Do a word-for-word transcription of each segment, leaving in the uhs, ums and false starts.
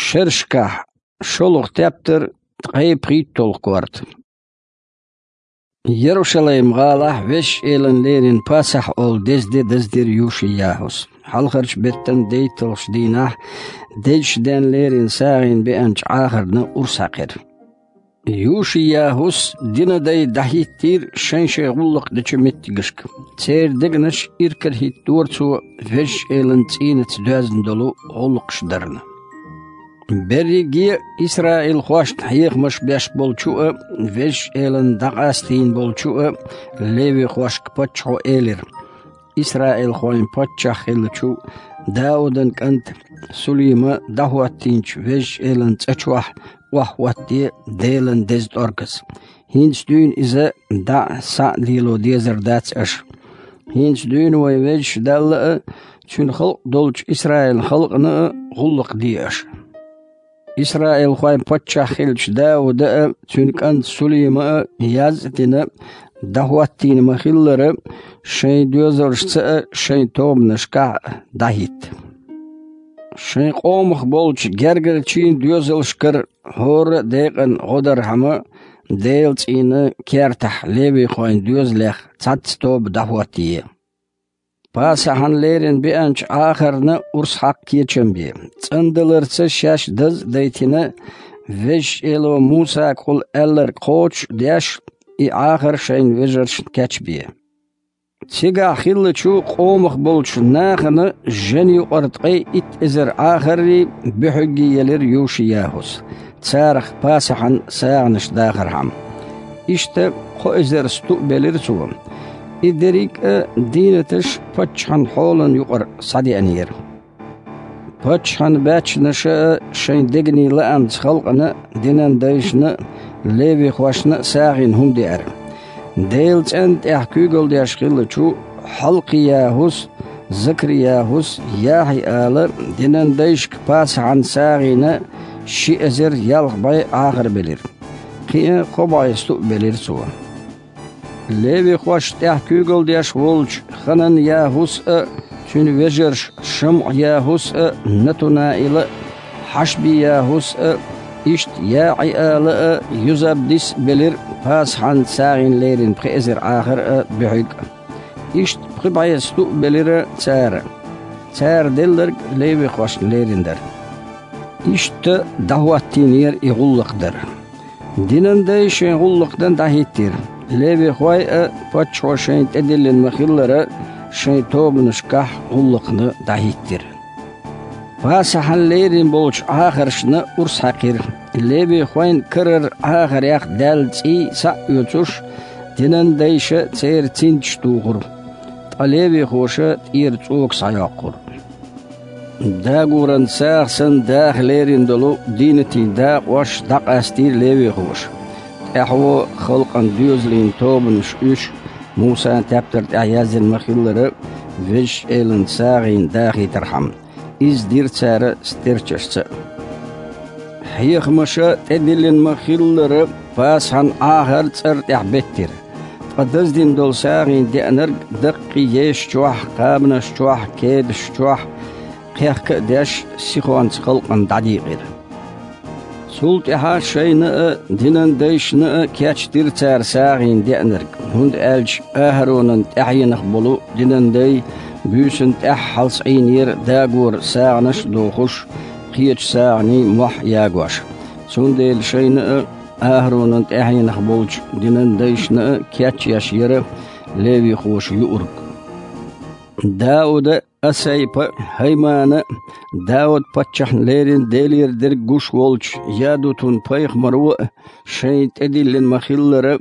Шерашкахь шолгӀа тептар, ткъе пхийтталгӀа корта. Ярушалайм-гӀалахь Везачу Элана леррина Пасахь олу деза де даздира Юши-ЯхӀус. Хьалхарчу беттан дейтталгӀачу дийнахь дезачу денна леррина сагӀина беанчу Ӏахарна урс хьаькхира. Юши-ЯхӀус динан дай дӀахӀиттийра шайн-шайн гӀуллакх дечу меттигашка. Церан дегнаш иракарахӀиттора цо Везачу Элана цӀийнаца доьзна долу гӀуллакхаш дарна. Берриге а исраилхошна хьехамаш беш болчу а, Везачу Элана дӀакъастийна болчу а левихошка паччахьо элира: «Исраилхойн паччахь хиллачу Даудан кӀанта Сулима дӀахӀоттийначу Везачу Элан цӀа чохь охьахӀоттае Делан деза тӀорказ. ХӀинца дуьйна иза дӀа а, схьа а лело дезар дац аша. ХӀинца дуьйна вайн Везачу Далла а, Цуьнан халкъ долчу Исраилан халкъана а гӀуллакх де аша». Исраилхойн паччахь хиллачу Дауда а, цуьнан кӀанта Сулима а яз а дина, дӀахӀоттийна ма-хиллара, шайн доьзалшца а, шайн тобанашкахь а дӀахӀитта. Шайн къомах болчу гергарчийн доьзалшкара хӀора а декъана гӀо дархьама, Делан цӀийнан кертахь левихойн доьзалех цхьацца тоба дӀахӀоттае. Пасахьан леррина беанчу Ӏахарна урс хьакха кечам бе. ЦӀандаларца шаьш даз а дайтина, Везачу Эло Мусагахула аьлларг кхочуш а деш, и Ӏахар шайна вежаршна кечбе. Цигахь хиллачу къомах болчу нахана жен юкъара ткъе итт эзар Ӏахаррий, буьхьиггий елира Юши-ЯхӀус, царах Пасахьан сагӀанаш дахархьама. Иштта кхо эзар сту а белира цо. И дерриг а дийнаташ паччахьан хьолан юкъара схьадеанера. Паччахьан баьччанаша а шайн дегнийн лаамца халкъана а, динан дайшна а, левихошна а сагӀина хӀума деара. Делан цӀенна тӀехь куьйгалла деш хиллачу Хьалкхи-ЯхӀус, Закри-ЯхӀус, ЯхӀи-ала динан дайшка Пасахьан сагӀина ши эзар ялх бӀе Ӏахар белира. Кхин а кхо бӀе сту а белира цо. Левихошна тӀехь куьйгалла деш волчу Ханан-ЯхӀус а, цуьнан вежарша ШамӀа-ЯхӀус а, Натунаила а, Хьашби-ЯхӀус а, иштта ЯӀи-ала а, Юзабдис а белира Пасахьан сагӀина леррина пхи эзар Ӏахар а, буьхьиг а. Иштта пхи бӀе сту а белира цара. Цара делларг левихошна леррина дара. Иштта дӀахӀоттийнера и гӀуллакх дар. Динан дай шайн гӀуллакх дан дӀахӀиттира. Левихой а, паччахьо шайна тӀедиллина ма-хиллара, шайн тобанашкахь гӀуллакхна дӀахӀиттира. Пасахьан леррина болчу Ӏахаршна урс хьаькхира. Левихойн карара Ӏахарех даьлла цӀий схьа а оьцуш, динан дайша церан цинцаш тухура, ткъа левихоша тӀера цӀока схьайоккхура. Дагоран сагӀа санна даха леррина долу дийнатийн дакъош дӀакъастийра левихоша. ТӀаьхьо халкъан доьзалийн тобанаш уьш, Мусан тептар тӀехь яздина ма-хиллара, Везачу Элан сагӀина дахийтархьама. Иза дира цара стерчашца а. Хьехамаша тӀедиллина ма-хиллара, Пасахьан Ӏахар цӀара тӀехь беттира. Ткъа даздина долу сагӀина деанарг даккхий еша чохь, кхабанаш чохь, кедаш чохь кхехка а деш, сихонца халкъана дӀадийкъира. Цул тӀаьхьа шайна а, динан дайшна а кечдира цара сагӀина деанарг, хӀунда аьлча АхӀаронан тӀаьхьенах болу динан дай буьйсанна тӀаьххьалц Ӏийнера дагора сагӀанаш а дохуш, кхечу сагӀанийн мохь а ягош. Цундела шайна а, АхӀаронан тӀаьхьенах болчу динан дайшна а кечъеш яра левихоша юург. Дауда а, Асайпа а, ХӀаймана а, Дауд-паччахьна леррина Делера дерг гуш волчу Ядутун-пайхамаро а шайна тӀедиллина ма-хиллара,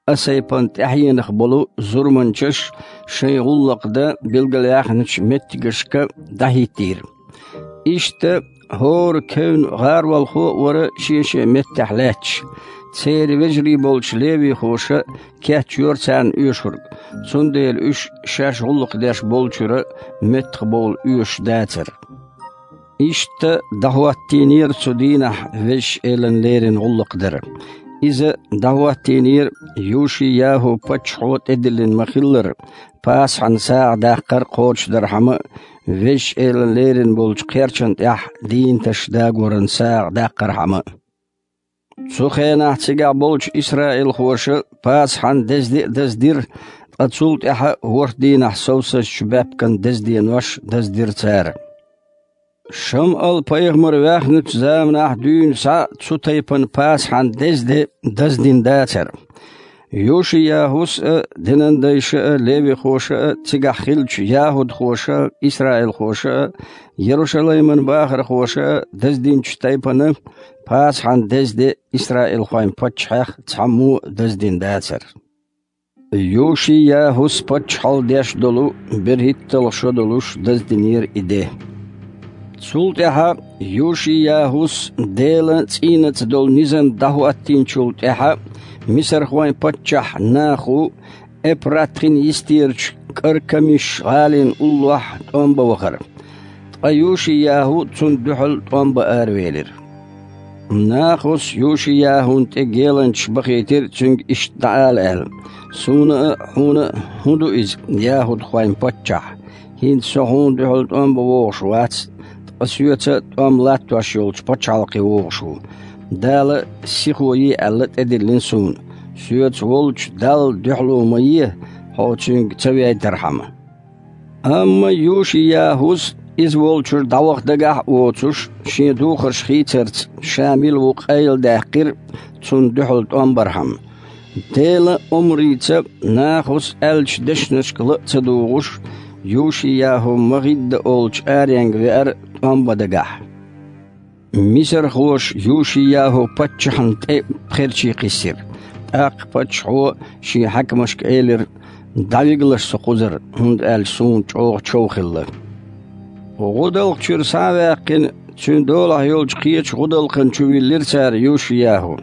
Асайпан тӀаьхьенах болу зурманчаш шайн гӀуллакх дан билгалъяьхначу меттигашка дӀахӀиттийра. Иштта хӀора кевнна гӀаролхо а вара шен-шен меттехь лаьтташ. Церан вежарий болчу левихоша кечйора царна оьшург, цундела уьш шаьш гӀуллакх деш болчуьра меттахбовла оьшуш дацара. Иштта дӀахӀоттийнера цу дийнахь Везачу Элана леррина гӀуллакх дар. Иза дӀахӀоттийнера Юши-ЯхӀу-паччахьо тӀедиллина ма-хиллара, Пасахьан сагӀа даккхар кхочушдархьама а, Везачу Элан лерина болчу кхерчана тӀехь дийнаташ дагоран сагӀа даккхархьама. Цу хенахь цигахь болчу исраилхоша Пасахьан дезде а даздира, ткъа цул тӀаьхьа ворхӀ дийнахь совсазчу баьпкан дезденош даздира цара. Шамъал-пайхамар ваьхначу заманахь дуьйна схьа цу тайпана Пасахьан дезде даздина дацара. Йоши-ЯхӀус а, динан дайша а, левихоша а, цигахь хиллачу яхӀудхоша а, исраилхоша а, Ярушалайман бахархоша а даздинчу тайпана Пасахьан дезде исраилхойн паччахьех цхьаммо а даздина дацара. Йоши-ЯхӀус паччахьалла деш долу берхӀитталгӀа шо долуш даздинера и де. Цул тӀаьхьа Йоши-ЯхӀус Делан цӀийнаца долу низам дӀахӀоттийначул тӀаьхьа мисархойн паччахь Наху Эпрат-хин йистерачу Каркамиш-гӀалин уллохь тӀом бан вахара. Ткъа Йоши-ЯхӀу цунна дуьхьал тӀом бан аравелира. Нахус Йоши-ЯхӀун тӀе геланчаш бахийтира, цуьнга иштта дӀаала аьлла: «Суна а, хьуна а хӀун ду иза, яхӀудхойн паччахь? ХӀинца со хьуна дуьхьал тӀом бан вогӀуш вац, ткъа соьца тӀом латтош йолчу пачхьалкхе вогӀуш ву. Дала сихо е аьлла тӀедиллина суна. Соьца волчу Далла дуьхьало ма е, хьо цуьнга ца вейтархьама». Амма Йоши-ЯхӀус, иза волчуьра дӀаваха дагахь а воцуш, шен духарш хийцарца, ша мила ву къайладаьккхира, цунна дуьхьал тӀом бархьама. Делан омрица Нахус аьллачу дешнашка ла а ца дугӀуш, Йоши-ЯхӀу МагӀидда олучу аренга веара тӀом бан дагахь. Мисархоша Йоши-ЯхӀу паччахьна тӀе пхерчий кхиссира. ТӀаккха паччахьо шен хьаькамашка элира: «ДӀавигалаш со кхузара, хӀунда аьлча суна чӀогӀа чов хилла». ГӀудалкх чуьра схьа а ваьккхина, цуьнан долахь йолчу кхечу гӀудалкхан чу виллира цара Йоши-ЯхӀу.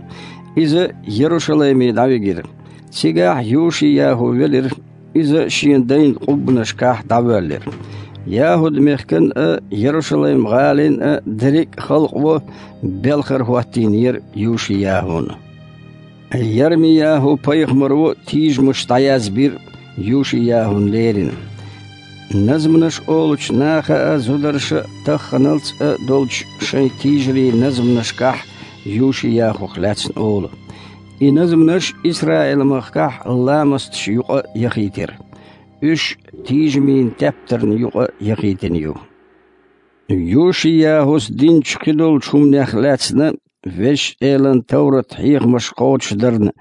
Иза Ярушалайме дӀавигира. Цигахь Йоши-ЯхӀу велира, иза шен дайн къуббанашкахь дӀавоьллира. ЯхӀуд-мехкан а, Ярушалайм-гӀалин а дерриг а халкъо белхар хӀоттийнера Йоши-ЯхӀуна. Ярми-ЯхӀу-пайхамаро тийжамаш дӀаязбира Йоши-ЯхӀун лерина. Назманаш олучу наха а, зударша а тахханалц а долчу шайн тийжарийн назманашкахь Йоши-ЯхӀух лаьцна олу. И назманаш Исраил-махкахь ламасташ юкъа яхийтира. Уьш тийжамийн тептарна юкъа яхийтина ю. Йоши-ЯхӀус динчу кхидолчу хӀуманех лаьцна, Везачу Элан товрат-хьехамаш кхочушдарна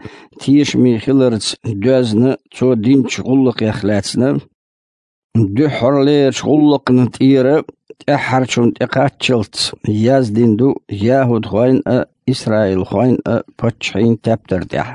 тешаме хиларца доьзна цо динчу гӀуллакхех лаьцна, дуьххьарлерачу гӀуллакхна тӀера тӀаьххьарчунна тӀекхаччалц яздина ду яхӀудхойн а, исраилхойн а паччахьийн тептар тӀехь.